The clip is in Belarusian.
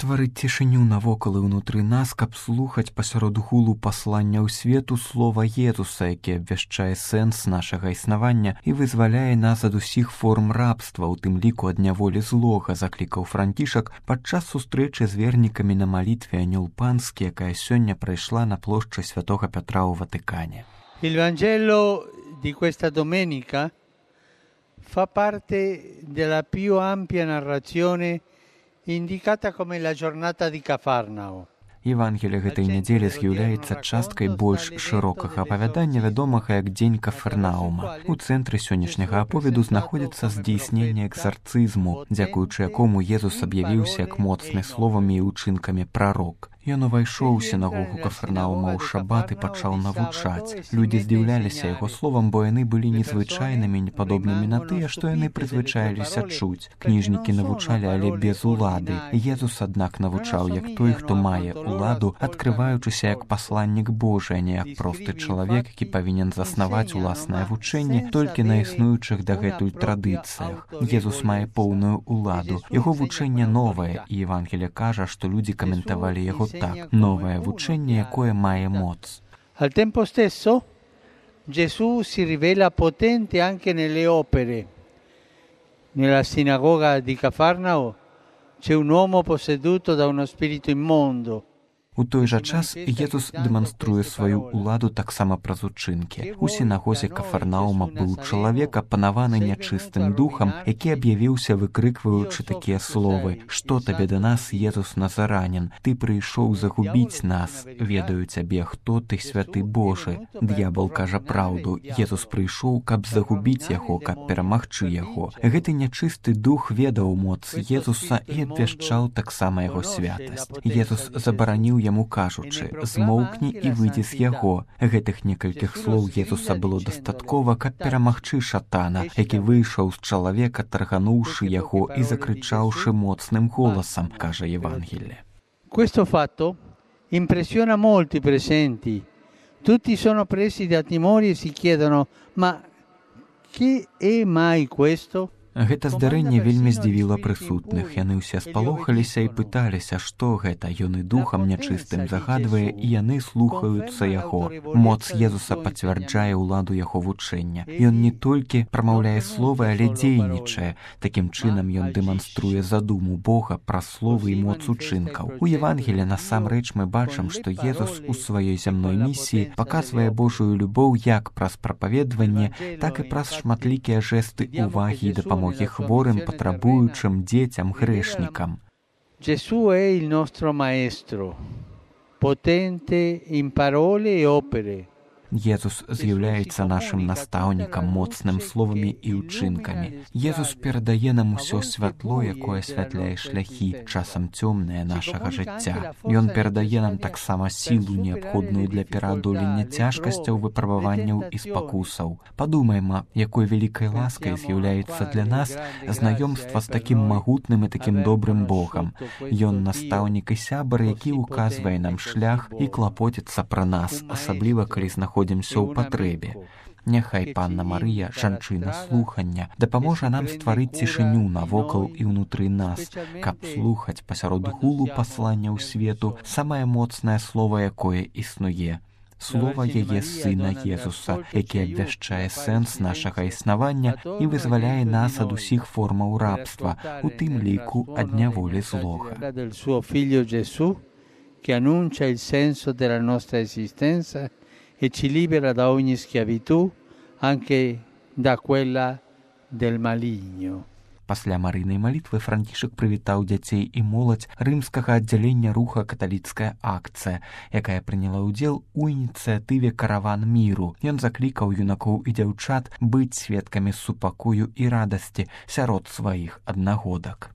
стварыць цішыню навокал і ўнутры нас, каб слухаць пасярод гулу паслання ў свету слова Езуса, які абвяшчае сэнс нашага існавання і вызваляе нас ад усіх форм рабства, у тым ліку ад няволі злога, заклікаў Францішак падчас сустрэчы з вернікамі на малітве Анёл Панскі, якая сёння прайшла на плошчы Святога Пятра ў Ватыкане. Il Vangelo di questa domenica fa parte della più ampia narrazione indicata come la giornata di Cafarnao. Евангелие гэтай нядзелі з'яўляецца часткай больш шырокага апавядання, вядомага як дзень Кафарнаума. У цэнтры сённяшняга аповеду знаходзіцца здзейсненне экзарцызму, дзякуючы якому Езус аб'явіўся як моцны словамі і ўчынкамі прарок. Ён увайшоў у сінагогу Кафарнаума ў шабат і пачаў навучаць. Людзі здзіўляліся яго словам, бо яны былі незвычайнымі, непадобнымі на тыя, што яны прызвычаіліся чуць. Кніжнікі навучалі, але без улады. Езус, аднак, навучаў як той, хто мае уладу, адкрываючыся як пасланнік Божы, а не як просты чалавек, які павінен заснаваць уласнае вучэнне толькі на існуючых дагэтуль традыцыях. Езус мае поўную уладу. Яго вучэнне новае, і Евангелие кажа, што людзі каментавалі яго так, новое вучэнне, якое мае моц. Al tempo stesso, Gesù si rivela potente anche nelle opere. Nella sinagoga di Cafarnao c'è un uomo posseduto da uno spirito immondo. У той жа час Езус дэманструе сваю ўладу таксама праз учынкі. У сінагозе Кафарнаума быў чалавек, апанаваны нячыстым духам, які аб'явіўся, выкрыкваючы такія словы: «Што табе да нас, Езус Назаранін? Ты прыйшоў загубіць нас. Ведаю цябе, хто ты, святы Божы». Д'ябал кажа праўду. Езус прыйшоў, каб загубіць яго, каб перамагчы яго. Гэты нячысты дух ведаў моц Езуса і абвяшчаў таксама яго святасць. Езус забараніў яму кажучы: «Змоўкні і выйдзі з яго». Гэтых некалькіх слоў Езуса было дастаткова, каб перамагчы шатана, які выйшаў з чалавека, таргануўшы яго і закрычаўшы моцным голасам, кажа Евангелие. Questo fatto impressiona molti presenti. Tutti sono presi da timori e si chiedono: ma che è mai questo? Гэта здарэнне вельмі здзівіла прысутных. Яны ўсе спалохаліся і пыталіся, што гэта. Ён і духам нячыстым загадвае, і яны слухаюцца яго. Моц Езуса пацвярджае ўладу яго вучэння. Ён не толькі прамаўляе словы, але дзейнічае. Такім чынам ён дэманструе задуму Бога праз словы і моц учынкаў. У Евангелі насамрэч мы бачым, што Езус у сваёй зямной місіі паказвае Божую любоў як праз прапаведванне, так і праз шматлікія жэсты ўвагі і дапамогі хворым, патрабуючым, дзецям, грэшнікам. Gesù è il nostro maestro, potente in parole e opere. Езус з'яўляецца нашым настаўнікам, моцным словамі і ўчынкамі. Езус перадае нам усё святло, якое асвятляе шляхі, часам цёмнае нашага жыцця. Ён перадае нам таксама сілу, неабходную для пераадолення цяжкасцяў, выпрабаванняў і спакусаў. Падумайма, якой вялікай ласкай з'яўляецца для нас знаёмства з такім магутным і такім добрым Богам. Ён настаўнік і сябар, які ўказвае нам шлях і клапоціцца пра нас, асабліва калі знаходзімся ў патрэбе. Няхай Панна Марыя, жанчына слухання, дапаможа нам стварыць цішыню навокал і ўнутры нас, каб слухаць пасярод гулу паслання ў свету самае моцнае слова, якое існуе. Слова яе Сына Езуса, які абвяшчае сэнс нашага існавання і вызваляе нас ад усіх формаў рабства, у тым ліку ад няволі злога. Che annuncia il senso della nostra esistenza e ci libera da ogni schiavitù, anche da quella del maligno. Пасля марыйнай малітвы Францішак прывітаў дзяцей і моладзь рымскага аддзялення руха «Каталіцкая акцыя», якая прыняла ўдзел у ініцыятыве «Караван міру». Ён заклікаў юнакоў і дзяўчат быць сведкамі супакою і радасці сярод сваіх аднагодак.